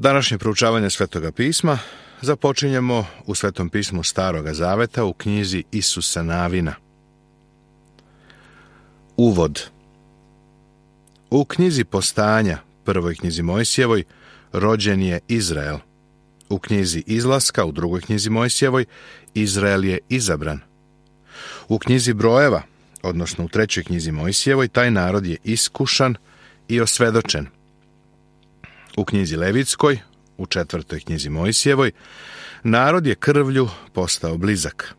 Današnje proučavanje Svetoga pisma započinjemo u Svetom pismu Staroga zaveta u knjizi Isusa Navina. Uvod. U knjizi Postanja, prvoj knjizi Mojsijevoj, rođen je Izrael. U knjizi Izlaska, u drugoj knjizi Mojsijevoj, Izrael je izabran. U knjizi Brojeva, odnosno u trećoj knjizi Mojsijevoj, taj narod je iskušan i osvedočen. U knjizi Levitskoj, u četvrtoj knjizi Mojsijevoj, narod je krvlju postao blizak.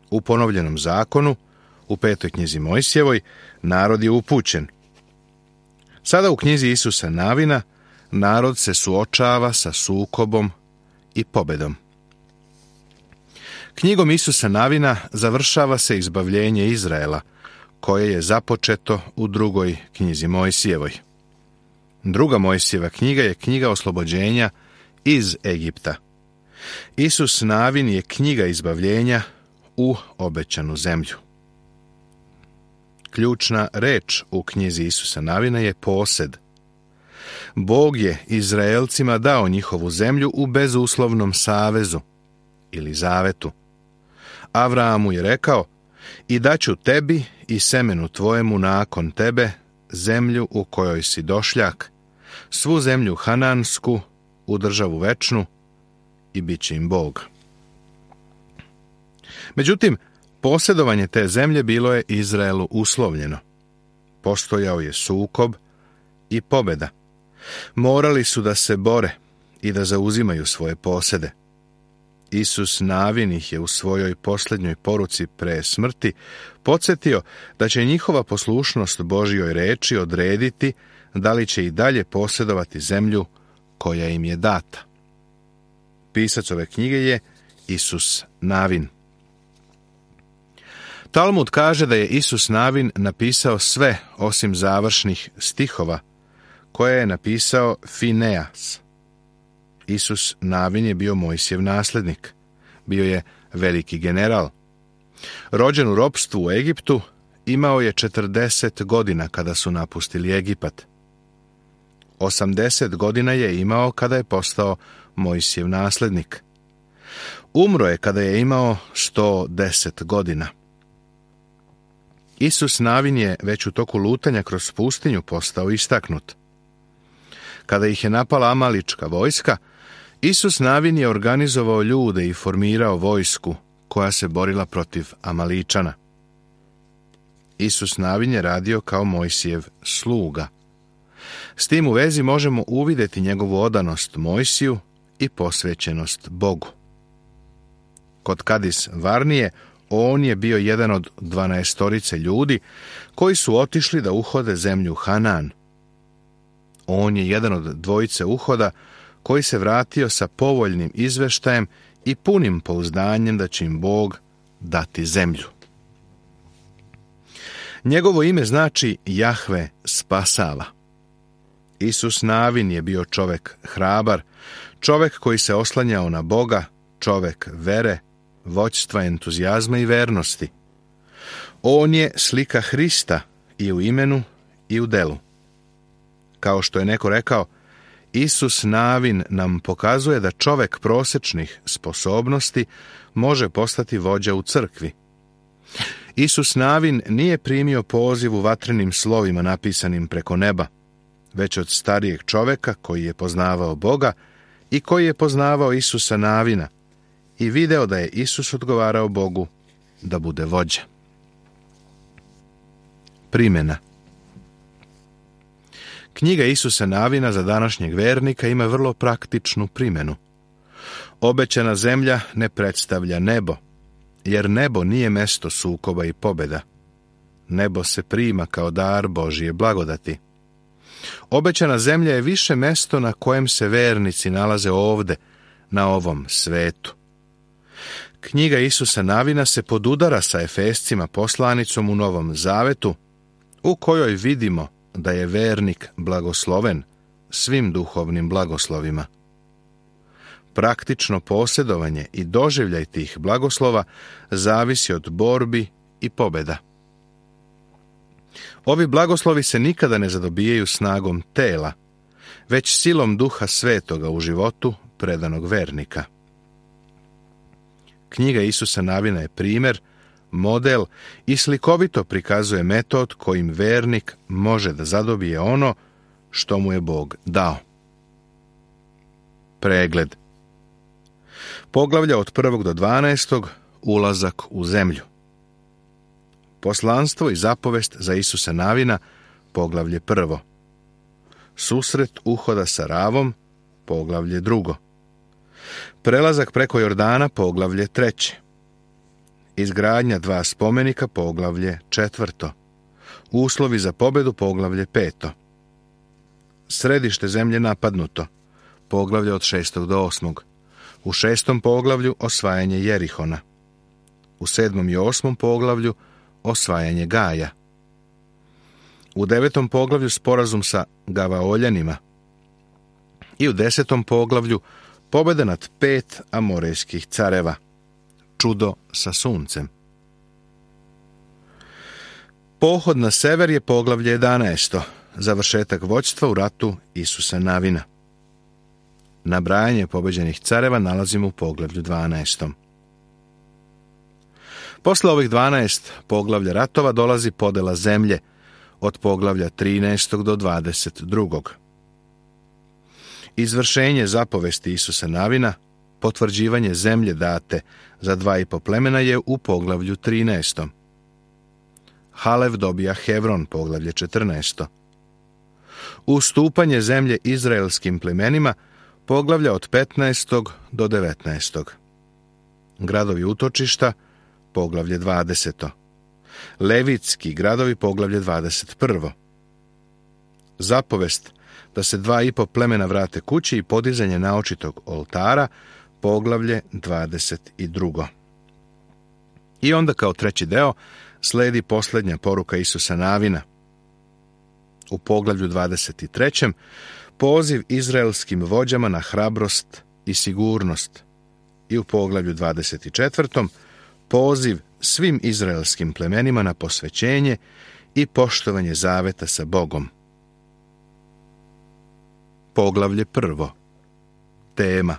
U ponovljenom zakonu, u petoj knjizi Mojsijevoj, narod je upućen. Sada u knjizi Isusa Navina, narod se suočava sa sukobom i pobedom. Knjigom Isusa Navina završava se izbavljenje Izraela, koje je započeto u drugoj knjizi Mojsijevoj. Druga Mojsijeva knjiga je knjiga oslobođenja iz Egipta. Isus Navin je knjiga izbavljenja u obećanu zemlju. Ključna reč u knjizi Isusa Navina je posed. Bog je Izraelcima dao njihovu zemlju u bezuslovnom savezu ili zavetu. Avramu je rekao: "I daću tebi i semenu tvojemu nakon tebe zemlju u kojoj si došljak, svu zemlju hanansku, u državu večnu, i bit će im Bog." Međutim, posjedovanje te zemlje bilo je Izraelu uslovljeno. Postojao je sukob i pobjeda. Morali su da se bore i da zauzimaju svoje posjede. Isus Navin ih je u svojoj posljednjoj poruci pre smrti podsjetio da će njihova poslušnost Božjoj reči odrediti da li će i dalje posjedovati zemlju koja im je data. Pisac ove knjige je Isus Navin. Talmud kaže da je Isus Navin napisao sve osim završnih stihova, koje je napisao Fineas. Isus Navin je bio Mojsijev nasljednik. Bio je veliki general. Rođen u ropstvu u Egiptu, imao je 40 godina kada su napustili Egipat. 80 godina je imao kada je postao Mojsijev nasljednik. Umro je kada je imao 110 godina. Isus Navin je već u toku lutanja kroz pustinju postao istaknut. Kada ih je napala amalička vojska, Isus Navin je organizovao ljude i formirao vojsku koja se borila protiv Amaličana. Isus Navin je radio kao Mojsijev sluga. S tim u vezi možemo uvidjeti njegovu odanost Mojsiju i posvećenost Bogu. Kod Kadis Varnije on je bio jedan od 12 ljudi koji su otišli da uhode zemlju Hanan. On je jedan od 2 uhoda koji se vratio sa povoljnim izveštajem i punim pouzdanjem da će im Bog dati zemlju. Njegovo ime znači Jahve spasava. Isus Navin je bio čovjek hrabar, čovjek koji se oslanjao na Boga, čovjek vere, vođstva, entuzijazma i vernosti. On je slika Hrista i u imenu i u delu. Kao što je neko rekao, Isus Navin nam pokazuje da čovjek prosječnih sposobnosti može postati vođa u crkvi. Isus Navin nije primio poziv u vatrenim slovima napisanim preko neba, već od starijeg čovjeka koji je poznavao Boga i koji je poznavao Isusa Navina i video da je Isus odgovarao Bogu da bude vođa. Primjena. Knjiga Isusa Navina za današnjeg vernika ima vrlo praktičnu primjenu. Obećana zemlja ne predstavlja nebo, jer nebo nije mesto sukoba i pobjeda. Nebo se prima kao dar Božje blagodati. Obećana zemlja je više mesto na kojem se vernici nalaze ovde, na ovom svetu. Knjiga Isusa Navina se podudara sa Efescima poslanicom u Novom Zavetu, u kojoj vidimo da je vernik blagosloven svim duhovnim blagoslovima. Praktično posjedovanje i doživljaj tih blagoslova zavisi od borbi i pobjeda. Ovi blagoslovi se nikada ne zadobijaju snagom tela, već silom Duha Svetoga u životu predanog vernika. Knjiga Isusa Navina je primjer, model i slikovito prikazuje metod kojim vernik može da zadobije ono što mu je Bog dao. Pregled. Poglavlja od 1. do 12. Ulazak u zemlju. Poslanstvo i zapovest za Isusa Navina, poglavlje 1. Susret uhoda sa Ravom, poglavlje 2. Prelazak preko Jordana, poglavlje 3. Izgradnja 2 spomenika, poglavlje 4. Uslovi za pobedu, poglavlje 5. Središte zemlje napadnuto, poglavlje od 6. do 8. U 6. poglavlju osvajanje Jerihona. U 7. i 8. poglavlju osvajanje Gaja. U 9. poglavlju sporazum sa Gavaoljanima. I u 10. poglavlju pobjeda nad 5 amorejskih careva. Čudo sa suncem. Pohod na sever je poglavlje 11. Završetak vođstva u ratu Isusa Navina. Nabrajanje pobeđenih careva nalazimo u poglavlju 12. Posle ovih 12 poglavlja ratova dolazi podela zemlje od poglavlja 13. do 22. Izvršenje zapovesti Isusa Navina, potvrđivanje zemlje date za 2,5 plemena je u poglavlju 13. Halev dobija Hevron, poglavlje 14. Ustupanje zemlje izraelskim plemenima, poglavlja od 15. do 19. Gradovi utočišta, poglavlje 20. Levitski gradovi, poglavlje 21. Zapovest da se 2,5 plemena vrate kući i podizanje naočitog oltara, poglavlje 22. I onda kao treći deo sledi posljednja poruka Isusa Navina. U poglavlju 23. poziv izraelskim vođama na hrabrost i sigurnost. I u poglavlju 24. poziv svim izraelskim plemenima na posvećenje i poštovanje zaveta sa Bogom. Poglavlje 1. Tema.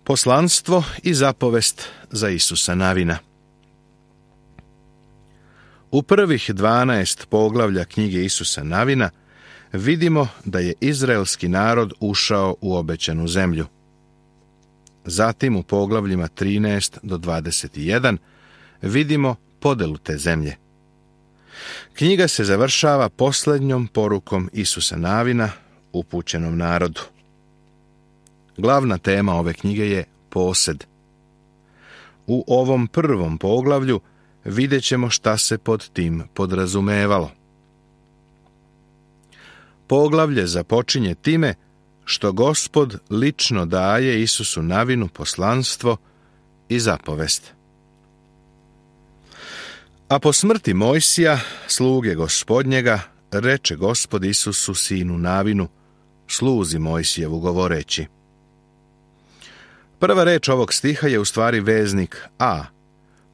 Poslanstvo i zapovest za Isusa Navina. U prvih 12 poglavlja knjige Isusa Navina vidimo da je izraelski narod ušao u obećanu zemlju. Zatim u poglavljima 13 do 21 vidimo podelu te zemlje. Knjiga se završava posljednjom porukom Isusa Navina upućenom narodu. Glavna tema ove knjige je posed. U ovom prvom poglavlju vidjet ćemo šta se pod tim podrazumevalo. Poglavlje započinje time što Gospod lično daje Isusu Navinu poslanstvo i zapovest. A po smrti Mojsija, sluge Gospodnjega, reče Gospod Isusu sinu Navinu, sluzi Mojsijevu govoreći. Prva reč ovog stiha je u stvari veznik A,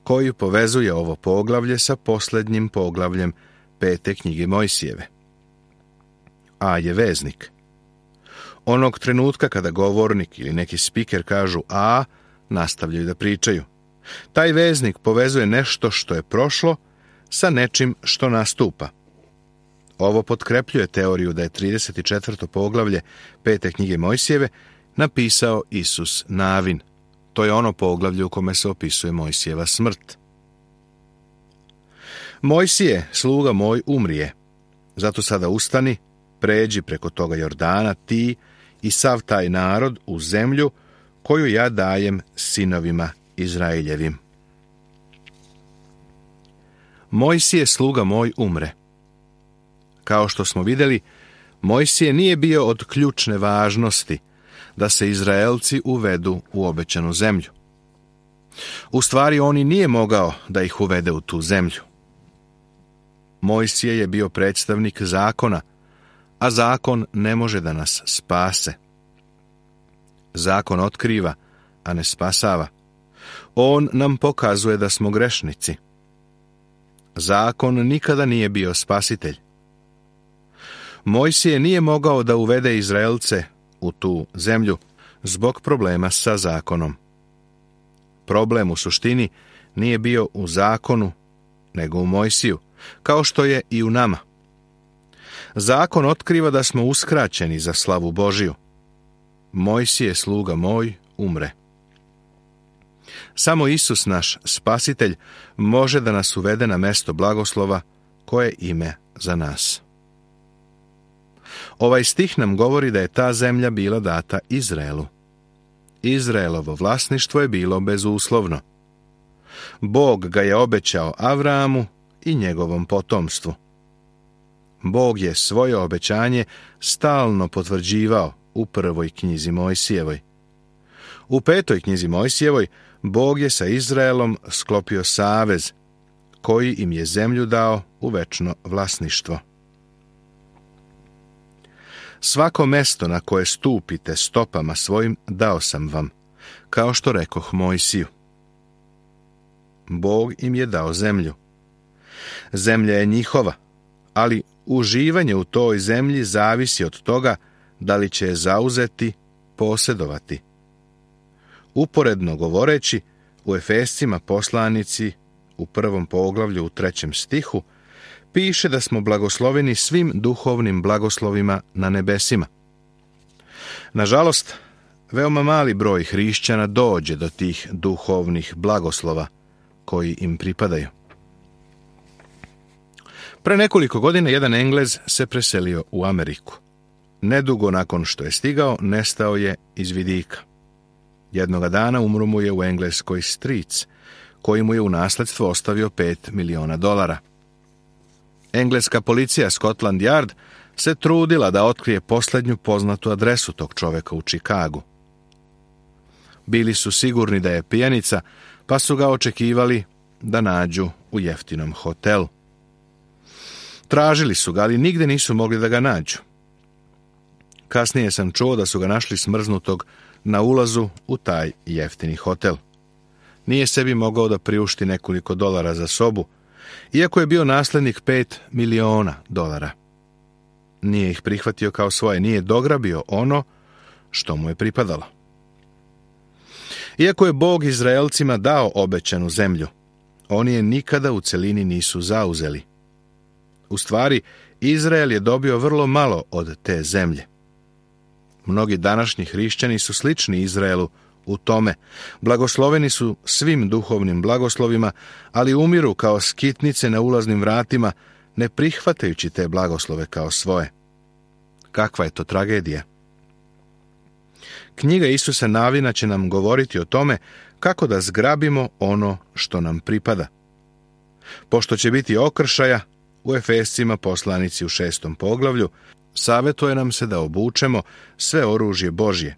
koji povezuje ovo poglavlje sa posljednjim poglavljem 5. knjige Mojsijeve. A je veznik. Onog trenutka kada govornik ili neki spiker kažu A, nastavljaju da pričaju. Taj veznik povezuje nešto što je prošlo sa nečim što nastupa. Ovo potkrepljuje teoriju da je 34. poglavlje 5. knjige Mojsijeve napisao Isus Navin. To je ono poglavlje u kome se opisuje Mojsijeva smrt. Mojsije, sluga moj, umrije. Zato sada ustani, pređi preko toga Jordana, ti i sav taj narod u zemlju koju ja dajem sinovima Izraeljevim. Mojsije, sluga moj, umre. Kao što smo vidjeli, Mojsije nije bio od ključne važnosti da se Izraelci uvedu u obećanu zemlju. U stvari, on i nije mogao da ih uvede u tu zemlju. Mojsije je bio predstavnik zakona, a zakon ne može da nas spase. Zakon otkriva, a ne spasava. On nam pokazuje da smo grešnici. Zakon nikada nije bio spasitelj. Mojsije nije mogao da uvede Izraelce u tu zemlju zbog problema sa zakonom. Problem u suštini nije bio u zakonu, nego u Mojsiju, kao što je i u nama. Zakon otkriva da smo uskraćeni za slavu Božiju. Mojsije, sluga moj, umre. Samo Isus, naš spasitelj, može da nas uvede na mesto blagoslova koje ime za nas. Ovaj stih nam govori da je ta zemlja bila data Izraelu. Izraelovo vlasništvo je bilo bezuslovno. Bog ga je obećao Avramu i njegovom potomstvu. Bog je svoje obećanje stalno potvrđivao u prvoj knjizi Mojsijevoj. U 5. knjizi Mojsijevoj Bog je sa Izraelom sklopio savez, koji im je zemlju dao u večno vlasništvo. Svako mesto na koje stupite stopama svojim dao sam vam, kao što rekoh Mojsiju. Bog im je dao zemlju. Zemlja je njihova, ali uživanje u toj zemlji zavisi od toga da li će je zauzeti, posjedovati. Uporedno govoreći, u Efescima poslanici u 1. poglavlju u 3. stihu piše da smo blagosloveni svim duhovnim blagoslovima na nebesima. Nažalost, veoma mali broj hrišćana dođe do tih duhovnih blagoslova koji im pripadaju. Pre nekoliko godina jedan Englez se preselio u Ameriku. Nedugo nakon što je stigao, nestao je iz vidika. Jednoga dana umro mu je u Engleskoj stric, koji mu je u nasledstvo ostavio $5 miliona. Engleska policija Scotland Yard se trudila da otkrije posljednju poznatu adresu tog čoveka u Čikagu. Bili su sigurni da je pijanica, pa su ga očekivali da nađu u jeftinom hotelu. Tražili su ga, ali nigde nisu mogli da ga nađu. Kasnije sam čuo da su ga našli smrznutog na ulazu u taj jeftini hotel. Nije sebi mogao da priušti nekoliko dolara za sobu, iako je bio naslednik $5 miliona. Nije ih prihvatio kao svoje, nije dograbio ono što mu je pripadalo. Iako je Bog Izraelcima dao obećanu zemlju, oni je nikada u celini nisu zauzeli. U stvari, Izrael je dobio vrlo malo od te zemlje. Mnogi današnji hrišćani su slični Izraelu u tome. Blagosloveni su svim duhovnim blagoslovima, ali umiru kao skitnice na ulaznim vratima, ne prihvatajući te blagoslove kao svoje. Kakva je to tragedija? Knjiga Isusa Navina će nam govoriti o tome kako da zgrabimo ono što nam pripada. Pošto će biti okršaja, u Efescima poslanici u 6. poglavlju savjetuje nam se da obučemo sve oružje Božje.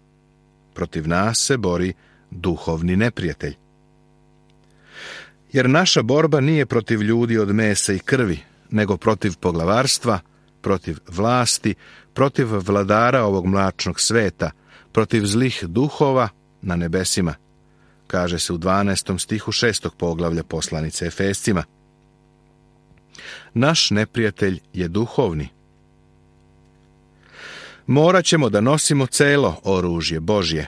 Protiv nas se bori duhovni neprijatelj. Jer naša borba nije protiv ljudi od mesa i krvi, nego protiv poglavarstva, protiv vlasti, protiv vladara ovog mračnog sveta, protiv zlih duhova na nebesima, kaže se u 12. stihu 6. poglavlja poslanice Efescima. Naš neprijatelj je duhovni. Morat ćemo da nosimo celo oružje Božje.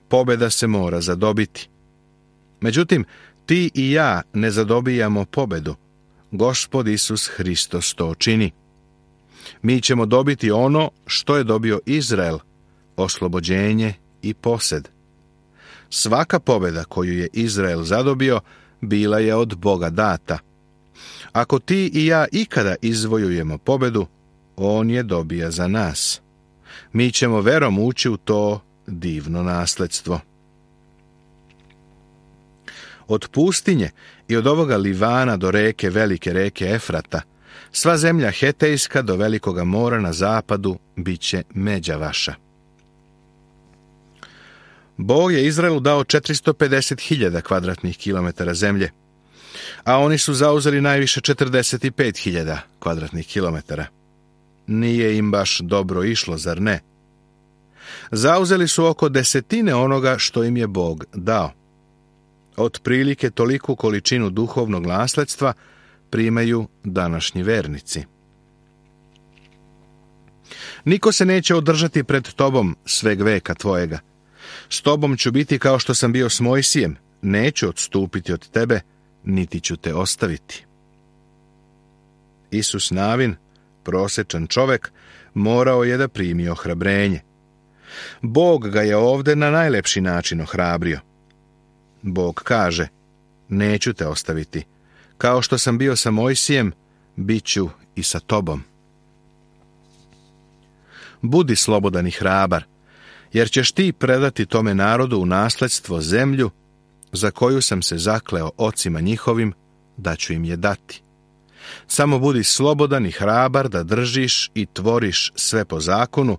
Pobjeda se mora zadobiti. Međutim, ti i ja ne zadobijamo pobjedu. Gospod Isus Hristos to čini. Mi ćemo dobiti ono što je dobio Izrael, oslobođenje i posed. Svaka pobjeda koju je Izrael zadobio, bila je od Boga data. Ako ti i ja ikada izvojujemo pobjedu, on je dobija za nas. Mi ćemo verom ući u to divno nasledstvo. Od pustinje i od ovoga Livana do reke, velike reke Efrata, sva zemlja Hetejska do velikoga mora na zapadu bit će međa vaša. Bog je Izraelu dao 450.000 kvadratnih kilometara zemlje, a oni su zauzeli najviše 45.000 kvadratnih kilometara. Nije im baš dobro išlo, zar ne? Zauzeli su oko 10% onoga što im je Bog dao. Otprilike toliku količinu duhovnog nasledstva primaju današnji vernici. Niko se neće održati pred tobom sveg veka tvojega. S tobom ću biti kao što sam bio s Mojsijem, neću odstupiti od tebe, niti ću te ostaviti. Isus Navin, prosječan čovek, morao je da primi ohrabrenje. Bog ga je ovde na najlepši način ohrabrio. Bog kaže, neću te ostaviti. Kao što sam bio sa Mojsijem, bit ću i sa tobom. Budi slobodan i hrabar, jer ćeš ti predati tome narodu u nasledstvo zemlju za koju sam se zakleo ocima njihovim da ću im je dati. Samo budi slobodan i hrabar da držiš i tvoriš sve po zakonu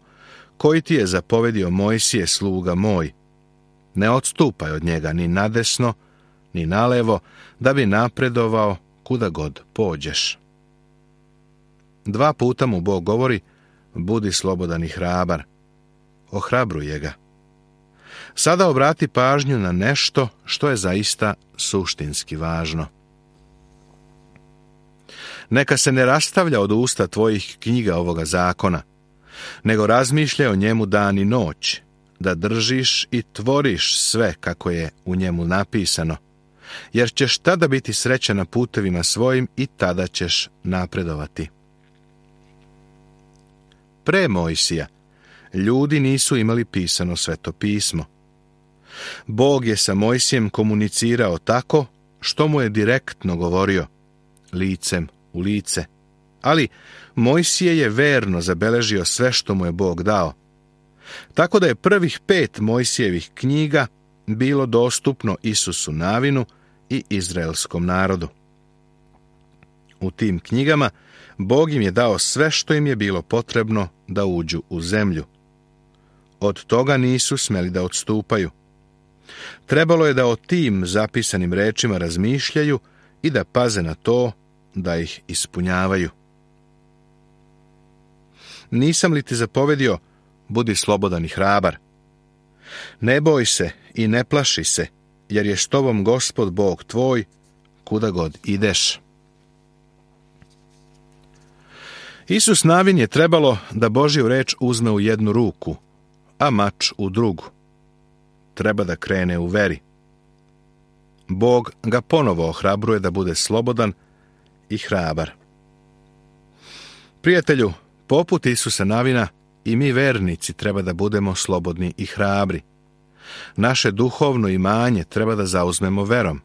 koji ti je zapovedio Mojsije sluga moj. Ne odstupaj od njega ni nadesno, ni nalevo, da bi napredovao kuda god pođeš. 2 puta mu Bog govori, budi slobodan i hrabar. Ohrabruje ga. Sada obrati pažnju na nešto što je zaista suštinski važno. Neka se ne rastavlja od usta tvojih knjiga ovoga zakona, nego razmišljaj o njemu dan i noć, da držiš i tvoriš sve kako je u njemu napisano, jer ćeš tada biti srećan na putevima svojim i tada ćeš napredovati. Pre Mojsija, ljudi nisu imali pisano Sveto pismo. Bog je sa Mojsijem komunicirao tako što mu je direktno govorio, licem u lice. Ali Mojsije je verno zabeležio sve što mu je Bog dao. Tako da je prvih 5 Mojsijevih knjiga bilo dostupno Isusu Navinu i izraelskom narodu. U tim knjigama Bog im je dao sve što im je bilo potrebno da uđu u zemlju. Od toga nisu smeli da odstupaju. Trebalo je da o tim zapisanim rečima razmišljaju i da paze na to da ih ispunjavaju. Nisam li ti zapovedio, budi slobodan i hrabar. Ne boj se i ne plaši se, jer je s tobom Gospod Bog tvoj, kuda god ideš. Isus Navin je trebalo da Božju reč uzme u jednu ruku, a mač u drugu. Treba da krene u veri. Bog ga ponovo ohrabruje da bude slobodan i hrabar. Prijatelju, poput Isusa Navina, i mi vernici treba da budemo slobodni i hrabri. Naše duhovno imanje treba da zauzmemo verom.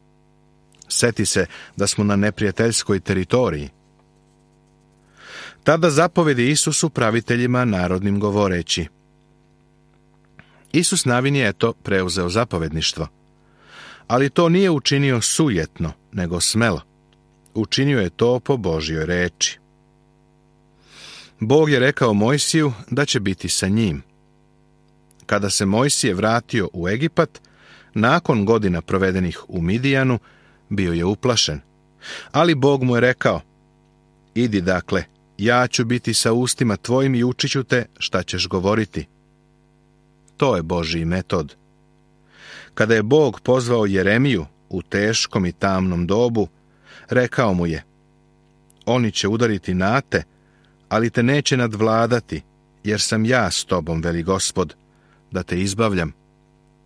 Seti se da smo na neprijateljskoj teritoriji. Tada zapovedi Isusu praviteljima narodnim govoreći. Isus Navin je preuzeo zapovedništvo, ali to nije učinio sujetno, nego smelo. Učinio je to po Božjoj reči. Bog je rekao Mojsiju da će biti sa njim. Kada se Mojsije vratio u Egipat, nakon godina provedenih u Midijanu, bio je uplašen. Ali Bog mu je rekao, idi dakle, ja ću biti sa ustima tvojim i učit ću te šta ćeš govoriti. To je Božji metod. Kada je Bog pozvao Jeremiju u teškom i tamnom dobu, rekao mu je, oni će udariti na te, ali te neće nadvladati, jer sam ja s tobom, veli Gospod, da te izbavljam.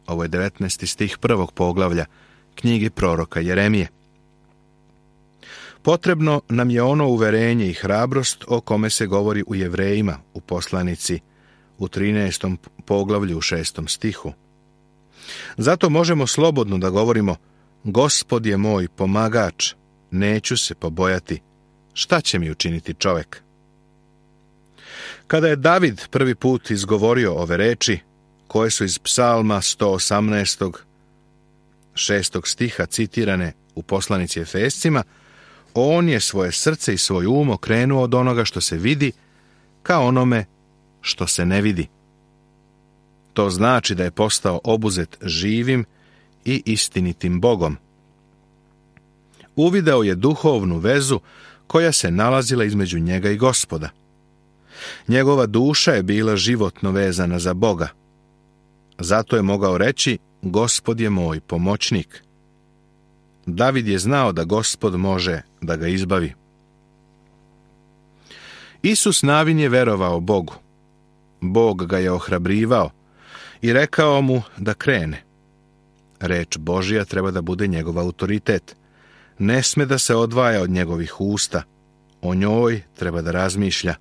Ovo je 19. stih 1. poglavlja knjige proroka Jeremije. Potrebno nam je ono uverenje i hrabrost o kome se govori u Jevrejima u poslanici u 13. poglavlju u 6. stihu. Zato možemo slobodno da govorimo, Gospod je moj pomagač, neću se pobojati, šta će mi učiniti čovek? Kada je David prvi put izgovorio ove reči, koje su iz Psalma 118. 6. stiha citirane u poslanici Efescima, on je svoje srce i svoj um okrenuo od onoga što se vidi ka onome što se ne vidi. To znači da je postao obuzet živim i istinitim Bogom. Uvideo je duhovnu vezu koja se nalazila između njega i Gospoda. Njegova duša je bila životno vezana za Boga. Zato je mogao reći, Gospod je moj pomoćnik. David je znao da Gospod može da ga izbavi. Isus Navin je verovao Bogu, Bog ga je ohrabrivao i rekao mu da krene. Reč Božja treba da bude njegov autoritet. Ne sme da se odvaja od njegovih usta. O njoj treba da razmišlja.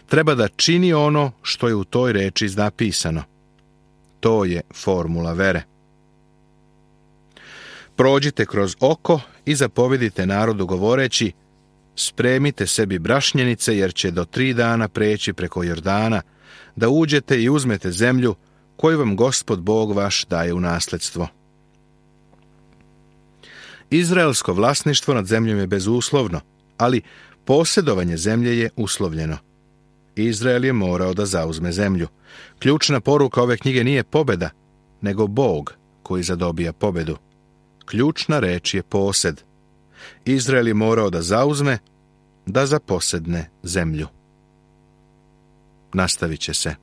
Treba da čini ono što je u toj reči napisano. To je formula vere. Prođite kroz oko i zapovedite narodu govoreći: spremite sebi brašnjenice, jer će do 3 dana preći preko Jordana, da uđete i uzmete zemlju koju vam Gospod Bog vaš daje u nasledstvo. Izraelsko vlasništvo nad zemljom je bezuslovno, ali posjedovanje zemlje je uslovljeno. Izrael je morao da zauzme zemlju. Ključna poruka ove knjige nije pobjeda, nego Bog koji zadobija pobjedu. Ključna reč je posed. Izrael je morao da zauzme, da zaposedne zemlju. Nastavit će se.